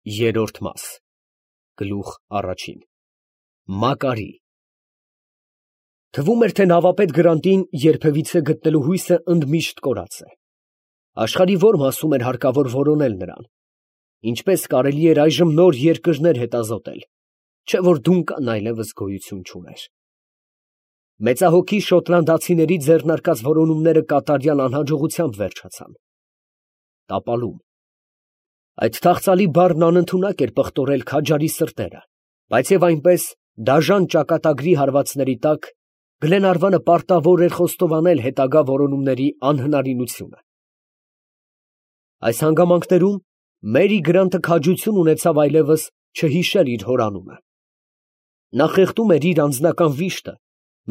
Երրորդ մաս։ Գլուխ առաջին։ Մակարի։ Թվում էր, թե նավապետ Գրանտին երբևիցե գտնելու հույսը ընդմիշտ կորած է։ Աշխարհի ո՞ր մասում էր հարկավոր որոնել նրան։ Ինչպես կարելի էր այժմ նոր երկրներ հետազոտել, չէ որ Դունկան այլևս գոյություն չուներ։ Մեծահոգի շոտլանդացիների ձեռնարկած որոնումները կատարյալ անհաջողությամբ վերջացան։ Տապալում։ Այդ թախծալի բառն անընդունակ էր պղտորել քաջարի սրտերը, բայց և այնպես դաժան ճակատագրի հարվածների տակ Գլենարվանը պարտավոր էր խոստովանել հետագա որոնումների անհնարինությունը։ Այս հանգամանքներում Մերի Գրանտը քաջություն ունեցավ այլևս չհիշել իր հոր անունը։ Նա խեղդում էր իր անձնական վիշտը,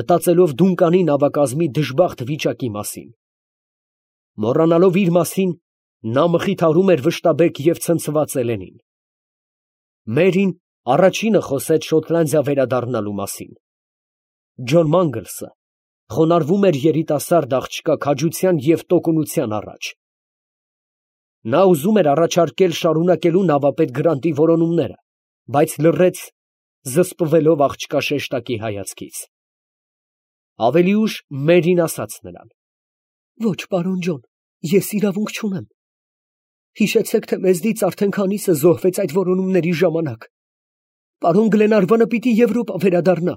մտածելով Դունկանի նավակազմի դժբախտ վիճակի մասին։ Մոռանալով իր մասին, նա մխիթարում էր վշտաբեկ և ցնցված Էլենին։ Մերին առաջինը խոսեց Շոտլանդիա վերադառնալու մասին։ Ջոն Մանգլսը խոնարհվում էր երիտասարդ աղջկա քաջության և տոկունության առաջ։ Նա ուզում էր առաջարկել շարունակելու նավապետ Գրանտի որոնումները, բայց լռեց, զսպվելով աղջկա շեշտակի հայացքից։ Ավելի ուշ Մերին ասաց նրան. «Ոչ, պարոն Ջոն, ես իրավունք չունեմ։ Հիշեցեք, թե մեզնից արդեն քանիսը զոհվեց այդ որոնումների ժամանակ։ Պարոն Գլենարվանը պիտի Եվրոպա վերադառնա»։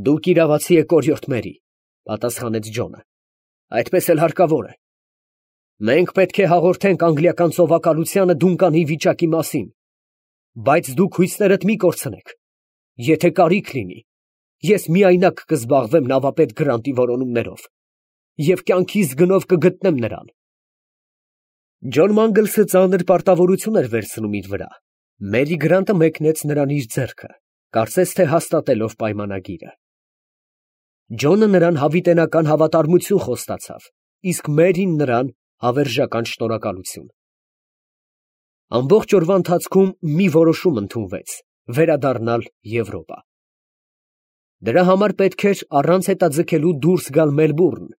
«Դուք իրավացի եք, օրիորդ Մերի», պատասխանեց Ջոնը։ «Այդպես էլ հարկավոր է։ Մենք պետք է հաղորդենք անգլիական ծովակալությանը Դունկանի վիճակի մասին, բայց դուք հույսներդ մի կորցնեք։ Եթե կարիք լինի, ես միայնակ կզբաղվեմ նավապետ Գրանտի որոնումներով և կյանքիս գնով կգտնեմ նրան»։ Ջոն Մանգլսը ծանր պարտավորություն էր վերցնում իր վրա։ Մերի Գրանտը մեկնեց նրան իր ձեռքը, կարծես թե հաստատելով պայմանագիրը։ Ջոնը նրան հավիտենական հավատարմություն խոստացավ, իսկ Մերին նրան հավերժական շնորհակալություն։ Ամբողջ օրվա ընթացքում մի որոշում ընդունվեց՝ վերադառնալ Եվրոպա։ Դրա համար պետք էր առանց հետաձգելու դուրս գալ Մելբուրն։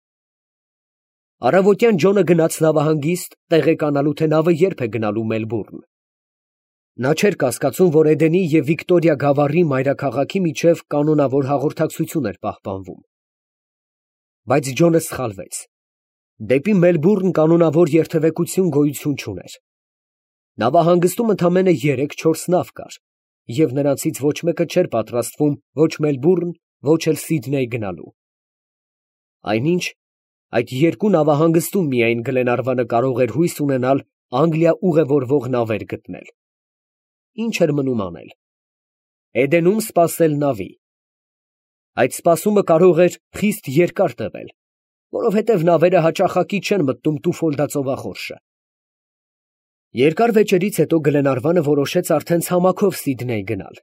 Առավոտյան Ջոնը գնաց նավահանգիստ տեղեկանալու, թե նավը երբ է գնալու Մելբուրն։ Նա չէր կասկածում, որ Էդենի և Վիկտորիա գավառի մայրաքաղաքի միջև կանոնավոր հաղորդակցություն էր պահպանվում։ Բայց Ջոնը սխալվեց։ Դեպի Մելբուրն կանոնավոր երթևեկություն գոյություն չուներ։ Նավահանգստում ընդամենը 3-4 նավ կար, և նրանցից ոչ մեկը չէր պատրաստվում ոչ Մելբուրն, ոչ էլ Սիդնեյ գնալու։ Այնինչ, այդ երկու նավահանգստում միայն Գլենարվանը կարող էր հույս ունենալ Անգլիա ուղևորվող նավեր գտնել։ Ինչ էր մնում անել։ Էդենում սպասել նավի։ Այդ սպասումը կարող էր խիստ երկար տևել, որովհետև նավերը հաճախակի չեն մտնում Տուֆոլդա ծովախորշը։ Երկար վեճերից հետո Գլենարվանը որոշեց արդեն ցամաքով Սիդնեյ գնալ,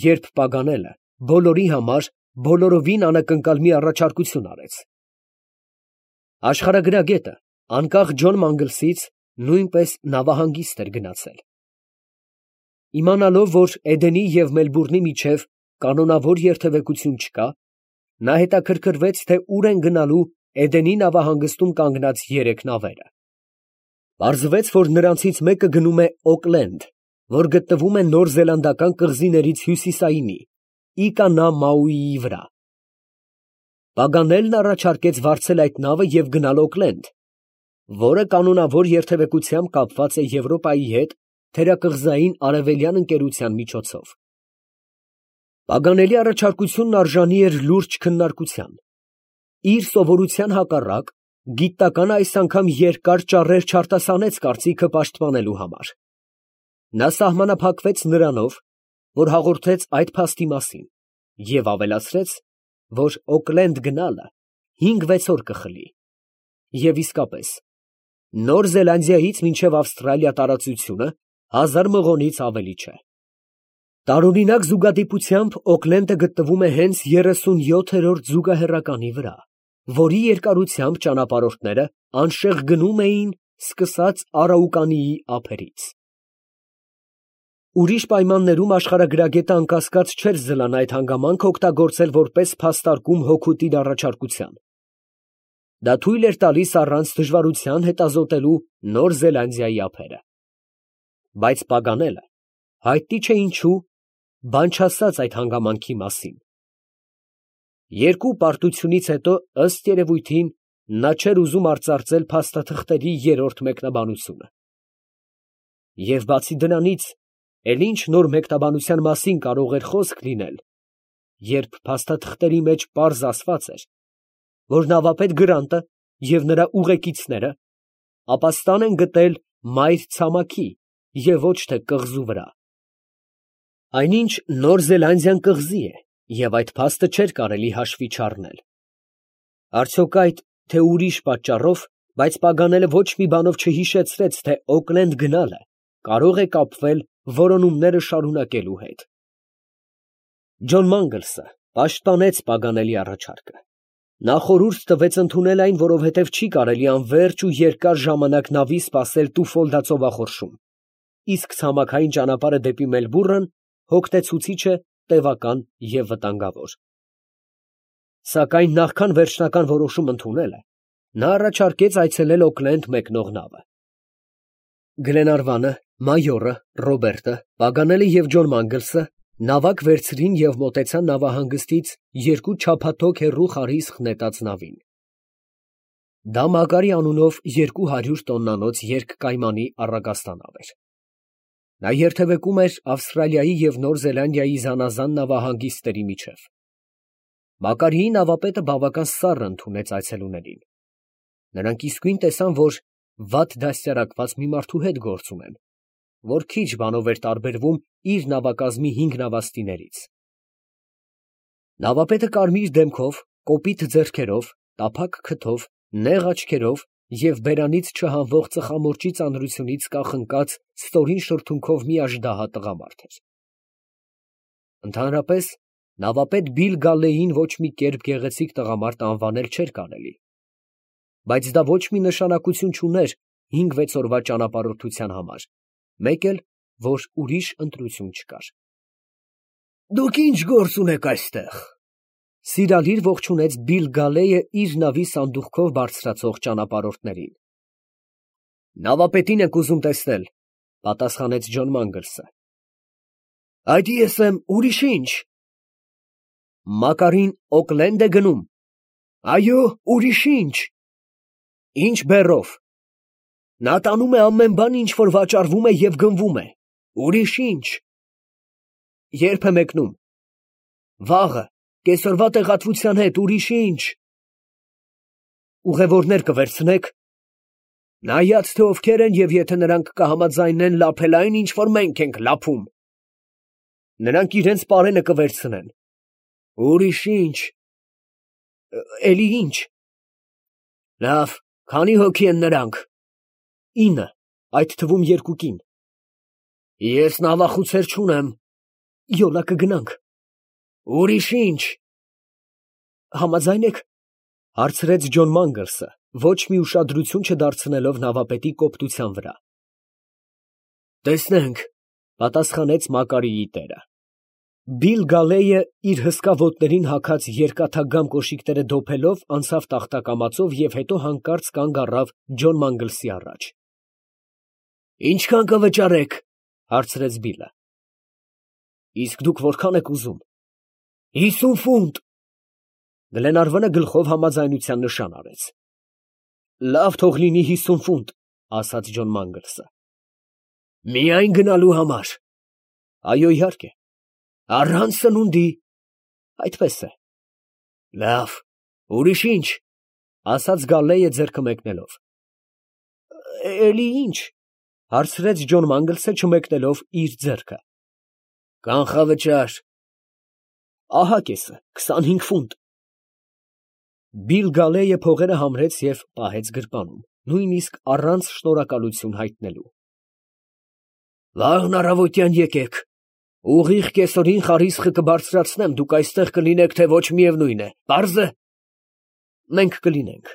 երբ Պագանելը բոլորի համար բոլորովին անակնկալ մի առաջարկություն արեց։ Աշխարհագրագետը, անկախ Ջոն Մանգլսից, նույնպես նավահանգիստ էր գնացել։ Իմանալով, որ Էդենի և Մելբուրնի միջև կանոնավոր երթևեկություն չկա, նա հետաքրքրվեց, թե ուր են գնալու Էդենի նավահանգստում կանգնած 3 նավերը։ Պարզվեց, որ նրանցից մեկը գնում է Օքլենդ, որ գտնվում է Նոր Զելանդական կղզիներից հյուսիսայինի, Իկա նա Մաուիի վրա։ Պագանելն առաջարկեց վարձել այդ նավը և գնալ Օքլենդ, որը կանոնավոր երթևեկությամբ կապված է Եվրոպայի հետ թերակղզային արևելյան ընկերության միջոցով։ Պագանելի առաջարկությունն արժանի էր լուրջ քննարկության։ Իր սովորության հակառակ, գիտականը այս անգամ երկար ճառեր չարտասանեց կարծիքը պաշտպանելու համար։ Նա սահմանափակվեց նրանով, որ հաղորդեց այդ փաստի մասին, և ավելացրեց, որ Օքլենդ գնալը 5-6 օր կխլի։ Եվ իսկապես, Նոր Զելանդիայից մինչև Ավստրալիա տարածությունը 1000 մղոնից ավելի չէ։ Տարօրինակ զուգադիպությամբ Օքլենդը գտնվում է հենց 37-րդ զուգահեռականի վրա, որի երկարությամբ ճանապարհորդները անշեղ գնում էին սկսած Արաուկանիի ափերից։ Ուրիշ պայմաններում աշխարհագրագետը անկասկած չէր զլան այդ հանգամանքը օգտագործել որպես փաստարկում հօգուտ իր առաջարկության։ Դա թույլ էր տալիս առանց դժվարության հետազոտելու Նոր Զելանդիայի ափերը։ բայց Պագանելը հայտնի չէ ինչու բան չասաց այդ հանգամանքի մասին։ Երկու պարտությունից հետո, ըստ երևույթին, նա չէր ուզում արծարծել փաստաթղթերի երրորդ մեկնաբանությունը։ Եվ բացի դրանից, էլ ինչ նոր մեկնաբանության մասին կարող էր խոսք լինել, երբ փաստաթղթերի մեջ պարզ ասված էր, որ նավապետ Գրանտը և նրա ուղեկիցները ապաստան են գտել մայր ցամաքի և ոչ թե կղզու վրա։ Այնինչ Նոր Զելանդիան կղզի է, և այդ փաստը չէր կարելի հաշվի չառնել։ Արդյոք այդ, թե ուրիշ պատճառով, բայց Պագանելը ոչ մի բանով չհիշեցրեց, թե Օքլենդ գնալը կարող է կապվել որոնումները շարունակելու հետ։ Ջոն Մանգլսը պաշտպանեց Պագանելի առաջարկը։ Նա խորհուրդ տվեց ընդունել այն, որովհետև չի կարելի անվերջ ու երկար ժամանակ նավի սպասել Տուֆոլդա ծովախորշում, իսկ ցամաքային ճանապարհը դեպի Մելբուրն հոգնեցուցիչ է, տևական և վտանգավոր։ Սակայն նախքան վերջնական որոշում ընդունելը, նա առաջարկեց այցելել Օքլենդ մեկնող նավը։ Գլենարվանը, մայորը, Ռոբերտը, Պագանելը և Ջոն Մանգլսը նավակ վերցրին և մոտեցան նավահանգստից երկու չափաթոք հեռու խարիսխ նետած նավին։ Դա Մակարի անունով 200 տոննանոց երկկայմանի առագաստանավ էր։ Նա երթևեկում էր Ավստրալիայի և Նոր Զելանդիայի զանազան նավահանգիստների միջև։ Մակարիի նավապետը բավական սառն ընդունեց այցելուներին։ Նրանք իսկույն տեսան, որ վատ դաստիարակված մի մարդու հետ գործ ունեն, որ քիչ բանով էր տարբերվում իր նավակազմի 5 նավաստիներից։ Նավապետը կարմիր դեմքով, կոպիտ ձեռքերով, տափակ քթով, նեղ աչքերով և բերանից չհանվող ծխամորճի ծանրությունից կախնկած ստորին շրթունքով մի աժդահա տղամարդ էր։ Ընդհանրապես, նավապետ Բիլ Գալլեին ոչ մի կերպ գեղեցիկ տղամարդ անվանել չէր կարելի, բայց դա ոչ մի նշանակություն չուներ 5-6 օրվա ճանապարհորդության համար, մեկ էլ, որ ուրիշ ընտրություն չկար։ «Դուք ի՞նչ գործ ունեք այստեղ», ֊ սիրալիր ողջունեց Բիլ Գալեյը իր նավի սանդուղքով բարձրացող ճանապարհորդներին։ «Նավապետին ենք ուզում տեսնել», ֊ պատասխանեց Ջոն Մանգլսը։ «Այդ ես եմ, ուրիշ ի՞նչ»։ «Մակարին Օքլենդ է գնում»։ «Այո, ուրիշ ի՞նչ»։ «Ի՞նչ բեռով»։ «Նա տանում է ամեն բան, ինչ որ վաճառվում է և գնվում է»։ «Ուրիշ ի՞նչ»։ «Ե՞րբ է մեկնում»։ «Վաղը, կեսօրվա տեղատվության հետ, ուրիշ ի՞նչ»։ «Ուղևորներ կվերցնե՞ք»։ «Նայած թե ովքեր են և եթե նրանք կհամաձայնեն լափել այն, ինչ որ մենք ենք լափում»։ «Նրանք իրենց պարենը կվերցնեն»։ «Ուրիշ ի՞նչ»։ «Էլի ի՞նչ»։ «Լավ, քանի հոգի են նրանք»։ 9, այդ թվում 2 կին։ «Ես նավախուցեր չունեմ»։ «Յոլա կգնանք»։ «Ուրիշ ի՞նչ»։ «Համաձայն եք», ֊ հարցրեց Ջոն Մանգլսը, ոչ մի ուշադրություն չդարձնելով նավապետի կոպտության վրա։ «Տեսնենք», ֊ պատասխանեց Մակարիի տերը։ Բիլ Գալեյը իր հսկա ոտներին հագած երկաթագամ կոշիկները դոփելով անցավ տախտակամածով և հետո հանկարծ կանգ առավ Ջոն Մանգլսի առաջ։ «Ինչքան կվճարեք», ֊ հարցրեց Բիլը։ «Իսկ դուք որքան եք ուզում»։ 50 ֆունտ։ Գլենարվանը գլխով համաձայնության նշան արեց։ «Լավ, թող լինի 50 ֆունտ», ֊ ասաց Ջոն Մանգլսը։ «Միայն գնալու համար»։ «Այո, իհարկե»։ «Առանց սնունդի»։ «Այդպես է»։ «Լավ, ուրիշ ի՞նչ», ֊ ասաց Գալլեյը ձեռքը մեկնելով։ «Էլի ի՞նչ», ֊ հարցրեց Ջոն Մանգլսը չմեկնելով իր ձեռքը։ «Կանխավճար»։ «Ահա կեսը, 25 ֆունտ»։ Բիլ Գալեյը փողերը համրեց և պահեց գրպանում, նույնիսկ առանց շնորհակալություն հայտնելու։ «Վաղն առավոտյան եկեք, ուղիղ կեսօրին խարիսխը կբարձրացնեմ, դուք այստեղ կլինեք, թե ոչ միևնույն է, պարզ է»։ «Մենք կլինենք»։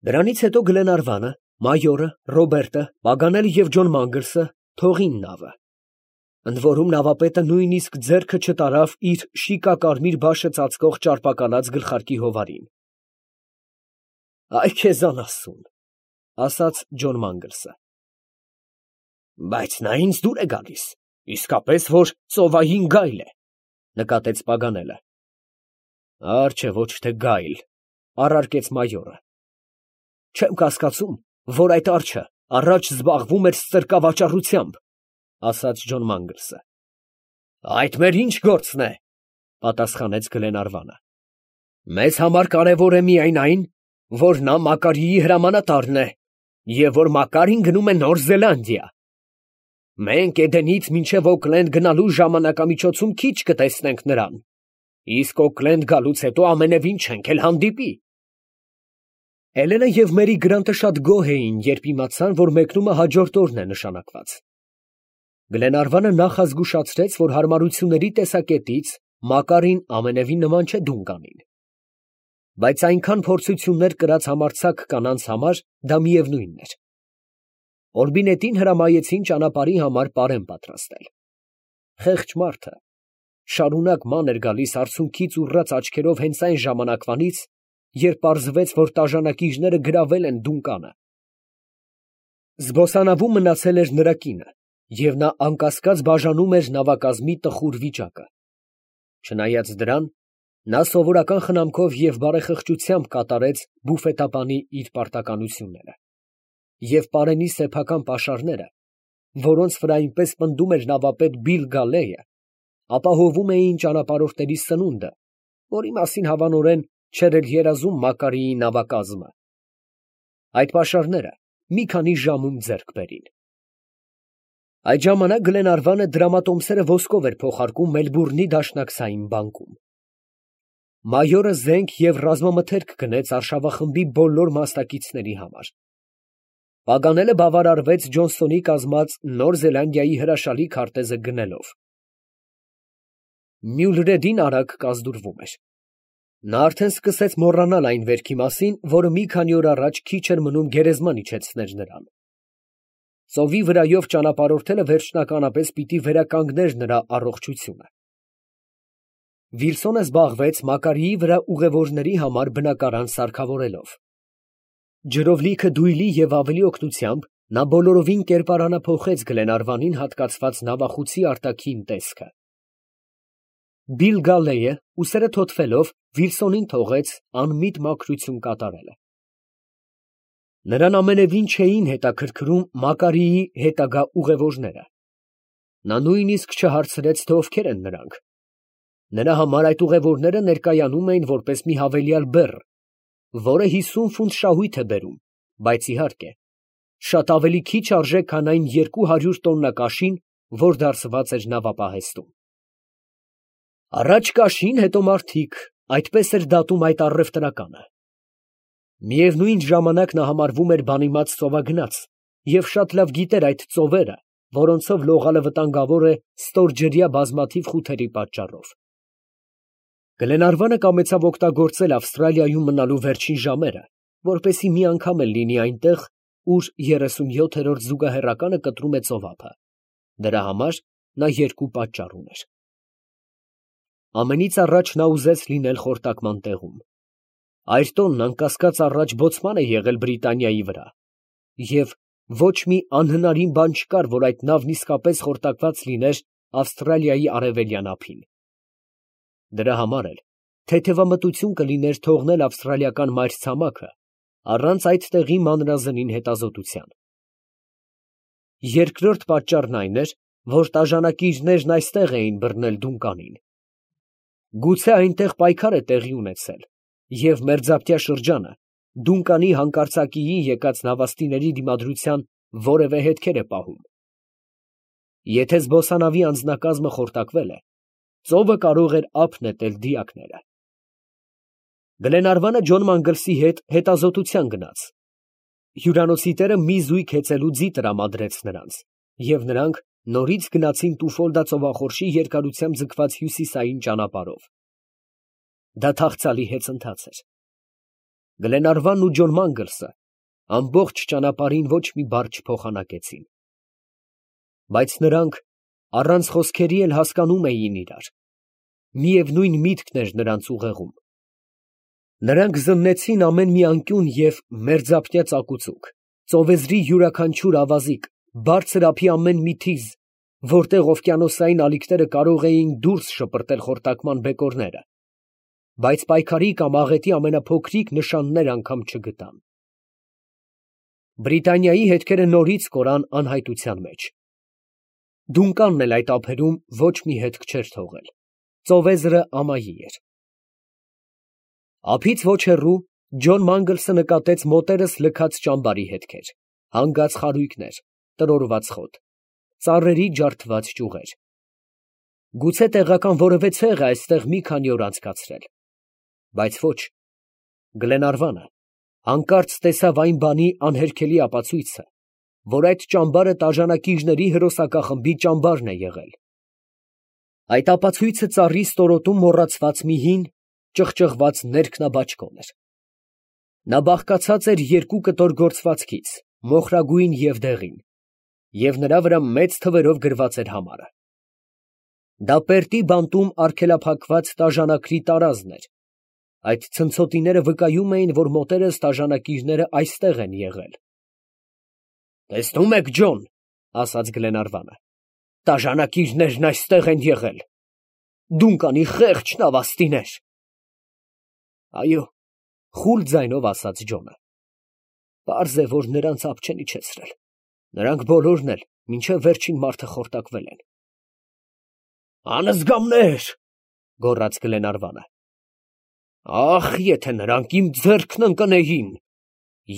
Դրանից հետո Գլենարվանը, մայորը, Ռոբերտը, Պագանելը և Ջոն Մանգլսը թողին նավը։ Ընդ որում նավապետը նույնիսկ ձեռքը չտարավ իր շիկակարմիր բաշը ծածկող ճարպակալած գլխարկի հովարին։ «Այ քեզան աստծուն», ֊ ասաց Ջոն Մանգլսը։ Բայց նա ինձ դուր է գալիս, իսկապես որ ծովային գայլ է, նկատեց Պագանելը։ Արչը ոչ թե գայլ, առարկեց մայորը։ Չեմ կասկածում, որ այդ արջը առաջ զբաղվում էր ստրկավաճառությամբ, ասաց Ջոն Մանգլսը։ Այդ մեր ինչ գործն է, պատասխանեց Գլենարվանը։ Մեզ համար կարևոր է միայն այն, որ նա Մակարիի հրամանատարն է, և որ Մակարին գնում է Նոր Զելանդիա։ Մենք Էդենից մինչև Օքլենդ գնալու ժամանակամիջոցում քիչ կտեսնենք նրան, իսկ Օքլենդ գալուց հետո ամենևին չենք էլ հանդիպի։ Էլենը և Մերի Գրանտը շատ գոհ էին, երբ իմացան, որ մեկնումը հաջորդ օրն է նշանակված։ Գլենարվանը նախազգուշացրեց, որ հարմարությունների տեսակետից Մակարին ամենևին նման չէ Դունկանին։ Բայց այնքան փորձություններ կրած համարձակ կանանց համար դա միևնույնն էր։ Օրբինետին հրամայեցին ճանապարհի համար պարեն պատրաստել։ Խեղճ մարդը շարունակ ման էր գալիս արցունքից ուռած աչքերով հենց այն ժամանակվանից, երբ պարզվեց, որ տաժանակիչները գրավել են Դունկանը։ Զբոսանավում մնացել էր նրա կինը, և նա անկասկած բաժանում էր նավակազմի տխուր վիճակը։ Չնայած դրան, նա սովորական խնամքով և բարեխղճությամբ կատարեց բուֆետապանի իր պարտականությունները, և պարենի սեփական պաշարները, որոնց վրա այնպես պնդում էր նավապետ Բիլ Գալեյը, ապահովում էին ճանապարհորդների սնունդը, որի մասին հավանորեն չէր էլ երազում Մակարիի նավակազմը։ Այդ պաշարները մի քանի ժամում ձեռք բերին։ Այդ ժամանակ Գլենարվանը դրամատոմսերը ոսկով էր փոխարկում Մելբուրնի դաշնակցային բանկում։ Մայորը զենք և ռազմամթերք գնեց արշավախմբի բոլոր մասնակիցների համար։ Պագանելը բավարարվեց Ջոնսոնի կազմած Նոր Զելանդիայի հրաշալի քարտեզը գնելով։ Մյուլրեդին արագ կազդուրվում էր։ Նա արդեն սկսեց մոռանալ այն վերքի մասին, որը մի քանի օր առաջ քիչ էր մնում գերեզման իջեցներ նրան։ Ծովի վրայով ճանապարհորդելը վերջնականապես պիտի վերականգներ նրա առողջությունը։ Վիլսոնը զբաղվեց Մակարիի վրա ուղևորների համար բնակարան սարքավորելով։ Ջրով լիքը դույլի և ավելի օգնությամբ նա բոլորովին կերպարանափոխեց Գլենարվանին հատկացված նավախուցի արտաքին տեսքը։ Բիլ Գալեյը, ուսերը թոթվելով, Վիլսոնին թողեց անմիտ մաքրություն կատարելը։ Նրան ամենևին չէին հետաքրքրում Մակարիի հետագա ուղևորները։ Նա նույնիսկ չհարցրեց, թե ովքեր են նրանք։ Նրա համար այդ ուղևորները ներկայանում էին որպես մի հավելյալ բեռ, որը 50 ֆունտ շահույթ է բերում, բայց իհարկե, շատ ավելի քիչ արժե, քան այն 200 տոննա կաշին, որ դարսված էր նավապահեստում։ Առաջ կաշին, հետո մարդիկ, այդպես էր դատում այդ առևտրականը։ Միևնույն ժամանակ նա համարվում էր բանիմաց ծովագնաց և շատ լավ գիտեր այդ ծովերը, որոնցով լողալը վտանգավոր է ստորջրյա բազմաթիվ խութերի պատճառով։ Գլենարվանը կամեցավ օգտագործել Ավստրալիայում մնալու վերջին ժամերը, որպեսզի մի անգամ էլ լինի այնտեղ, ուր 37-րդ զուգահեռականը կտրում է ծովափը։ Դրա համար նա երկու պատճառ ուներ։ Ամենից առաջ նա ուզեց լինել խորտակման տեղում։ Այրտոնն անկասկած առաջ բոցման է եղել Բրիտանիայի վրա, և ոչ մի անհնարին բան չկար, որ այդ նավն իսկապես խորտակված լիներ Ավստրալիայի արևելյան ափին։ Դրա համար էլ թեթևամտություն կլիներ թողնել ավստրալիական մայրցամաքը առանց այդ տեղի մանրազնին հետազոտության։ Երկրորդ պատճառն այն էր, որ տաժանակիչներն այստեղ էին բռնել Դունկանին։ Գուցե այնտեղ պայքար է տեղի ունեցել, և մերձապտյա շրջանը Դունկանի հանկարծակիի եկած նավաստիների դիմադրության որևէ հետքեր է պահում։ Եթե զբոսանավի անձնակազմը խորտակվել է, ծովը կարող էր ափ նետել դիակները։ Գլենարվանը Ջոն Մանգլսի հետ հետազոտության գնաց։ Հյուրանոցի տերը մի զույգ հեծելու ձի տրամադրեց նրանց, և նրանք նորից գնացին Տուֆոլդա ծովախորշի երկարությամբ ձգված հյուսիսային ճանապարհով։ Դա թախծալի հեծընթաց էր։ Գլենարվանն ու Ջոն Մանգլսը ամբողջ ճանապարհին ոչ մի բառ չփոխանակեցին։ Բայց նրանք առանց խոսքերի էլ հասկանում էին իրար։ Միևնույն միտքն էր նրանց ուղեղում։ Նրանք զննեցին ամեն մի անկյուն և մերձապտյա ծակուցուկ, ծովեզրի յուրաքանչյուր ավազիկ, բարձր ափի ամեն մի թիզ, որտեղ օվկիանոսային ալիքները կարող էին դուրս շպրտել խորտակման բեկորները, բայց պայքարի կամ աղետի ամենափոքրիկ նշաններ անգամ չգտան։ Բրիտանիայի հետքերը նորից կորան անհայտության մեջ։ Դունկանն էլ այդ ափերում ոչ մի հետք չէր թողել։ Ծովեզրը ամայի էր։ Ափից ոչ հեռու Ջոն Մանգլսը նկատեց մոտերս լքած ճամբարի հետքեր, հանգած խարույկներ, տրորված խոտ, ծառերի ջարդված ճյուղեր։ Գուցե տեղական որևէ ցեղ է այստեղ մի քանի օր անցկացրել, բայց ոչ։ Գլենարվանը հանկարծ տեսավ այն բանի անհերքելի ապացույցը, որ այդ ճամբարը տաժանակիչների հրոսակախմբի ճամբարն է եղել։ Այդ ապացույցը ծառի ստորոտում մոռացված մի հին, ճղճղված ներքնաբաճկոն էր։ Նա բաղկացած էր երկու կտոր գործվածքից, մոխրագույն և դեղին, և նրա վրա մեծ թվերով գրված էր համարը։ Դա պերտի բանտում արգելափակված տաժանակրի տարազն էր։ Այդ ցնցոտիները վկայում էին, որ մոտերս տաժանակիչները այստեղ են եղել։ «Տեսնում եք, Ջոն, ֊ ասաց Գլենարվանը, ֊ տաժանակիչներն այստեղ են եղել։ Դունկանի խեղճ նավաստիներ»։ «Այո, ֊ խուլ ձայնով ասաց Ջոնը, ֊ պարզ է, որ նրանց ափ չեն իջեցրել. նրանք բոլորն էլ մինչև վերջին մարդը խորտակվել են»։ «Անզգամներ, ֊ գոռաց Գլենարվանը, ֊ ախ, եթե նրանք իմ ձեռքն ընկնեին,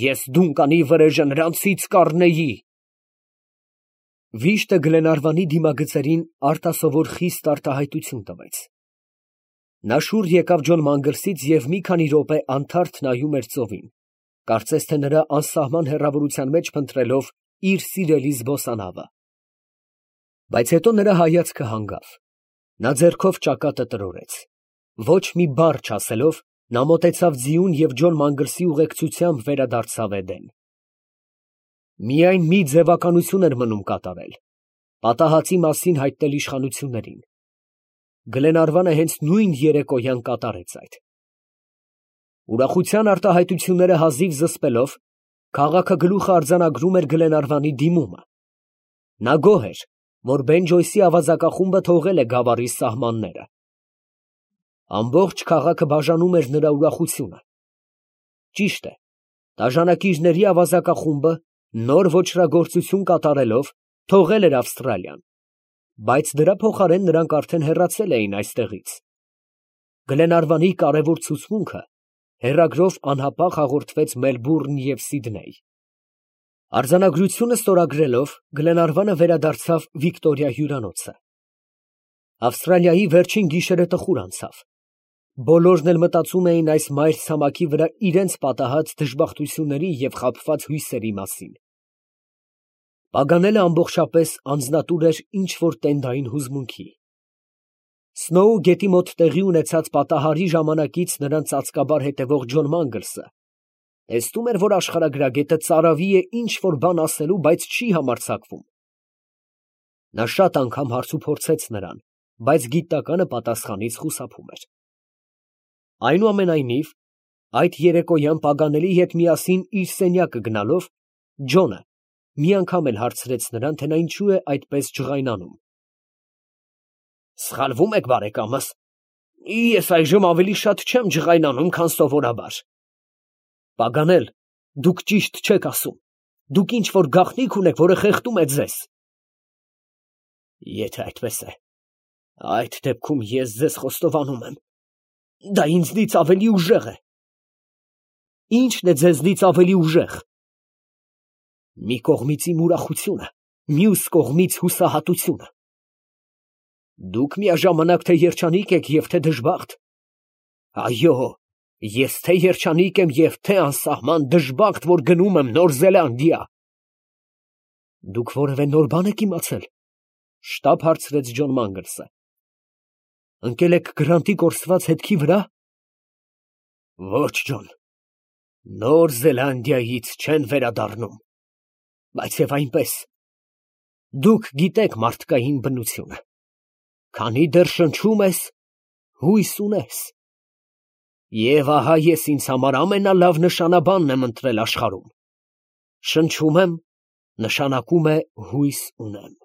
ես Դունկանի վրեժը նրանցից կառնեի»։ Վիշտը Գլենարվանի դիմագծերին արտասովոր խիստ արտահայտություն տվեց։ Նա շուռ եկավ Ջոն Մանգլսից և մի քանի րոպե անթարթ նայում էր ծովին, կարծես թե նրա անսահման հեռավորության մեջ փնտրելով իր սիրելի զբոսանավը։ Բայց հետո նրա հայացքը հանգավ, նա ձեռքով ճակատը տրորեց։ Ոչ մի բառ չասելով, նա մոտեցավ ձիուն և Ջոն Մանգլսի ուղեկցությամբ վերադարձավ Էդեն։ Միայն մի ձևականություն էր մնում կատարել, պատահածի մասին հայտնել իշխանություններին։ Գլենարվանը հենց նույն երեկոյան կատարեց այդ։ Ուրախության արտահայտությունները հազիվ զսպելով, քաղաքը գլուխը արձանագրում էր Գլենարվանի դիմումը։ Նա գոհ էր, որ Բենջոյսի ավազակախումբը թողել է գավառի սահմանները։ Ամբողջ քաղաքը բաժանում էր նրա ուրախությունը։ Ճիշտ է, տաժանակիչների ավազակախումբը նոր ոճրագործություն կատարելով թողել էր Ավստրալիան, բայց դրա փոխարեն նրանք արդեն հեռացել էին այստեղից։ Գլենարվանի կարևոր ցուցմունքը հեռագրով անհապաղ հաղորդվեց Մելբուրն և Սիդնեյ։ Արձանագրությունը ստորագրելով, Գլենարվանը վերադարձավ Վիկտորիա հյուրանոցը։ Ավստրալիայի վերջին գիշերը տխուր անցավ։ Բոլորն էլ մտածում էին այս մայրցամաքի վրա իրենց պատահած դժբախտությունների և խաբված հույսերի մասին։ Պագանելը ամբողջապես անձնատուր էր ինչ֊որ տենդային հուզմունքի։ Սնոու գետի մոտ տեղի ունեցած պատահարի ժամանակից նրան ծածկաբար հետևող Ջոն Մանգլսը տեսնում էր, որ աշխարհագրագետը ծարավի է ինչ֊որ բան ասելու, բայց չի համարձակվում։ Նա շատ անգամ հարց ու փորձեց նրան, բայց գիտականը պատասխանից խուսափում էր։ Այնուամենայնիվ, այդ երեկոյան Պագանելի հետ միասին իր սենյակը գնալով, Ջոնը մի անգամ էլ հարցրեց նրան, թե նա ինչու է այդպես ջղայնանում։ «Սխալվում եք, բարեկամս, ես այժմ ավելի շատ չեմ ջղայնանում, քան սովորաբար»։ «Պագանել, դուք ճիշտ չեք ասում, դուք ինչ֊որ գաղտնիք ունեք, որը խեղդում է ձեզ»։ «Եթե այդպես է, այդ դեպքում ես ձեզ խոստովանում եմ, դա ինձնից ավելի ուժեղ է»։ «Ի՞նչն է ձեզնից ավելի ուժեղ»։ «Մի կողմից իմ ուրախությունը, մյուս կողմից հուսահատությունը»։ «Դուք միաժամանակ թե երջանիկ եք և թե դժբախտ»։ «Այո, ես թե երջանիկ եմ և թե անսահման դժբախտ, որ գնում եմ Նոր Զելանդիա»։ «Դուք որևէ նոր բան եք իմացել»։ Շտապ հարցրեց Ջոն Մանգլսը։ «Ընկել եք Գրանտի կորսված հետքի վրա»։ «Ոչ, Ջոն, Նոր Զելանդիայից չեն վերադառնում, բայց և այնպես, դուք գիտեք մարդկային բնությունը, քանի դեռ շնչում ես, հույս ունես։ Եվ ահա ես ինձ համար ամենալավ նշանաբանն եմ ընտրել աշխարհում. շնչում եմ, նշանակում է հույս ունեմ։